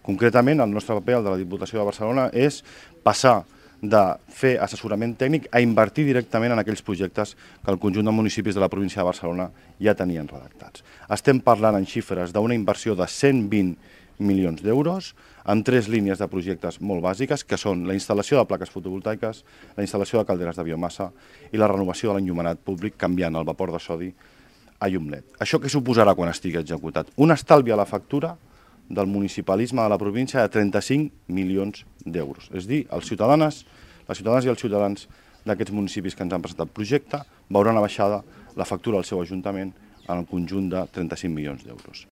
Concretament, el nostre paper, el de la Diputació de Barcelona, és passar de fer assessorament tècnic a invertir directament en aquells projectes que el conjunt de municipis de la província de Barcelona ja tenien redactats. Estem parlant en xifres d'una inversió de 120 milions d'euros amb 3 línies de projectes molt bàsiques, que són la instal·lació de plaques fotovoltaiques, la instal·lació de calderes de biomassa i la renovació de l'enllumenat públic canviant el vapor de sodi a llum LED. Això què suposarà quan estigui executat? Un estalvi a la factura del municipalisme de la província de 35 milions d'euros. És a dir, les ciutadanes i els ciutadans d'aquests municipis que ens han presentat el projecte veuran abaixada la factura del seu ajuntament en el conjunt de 35 milions d'euros.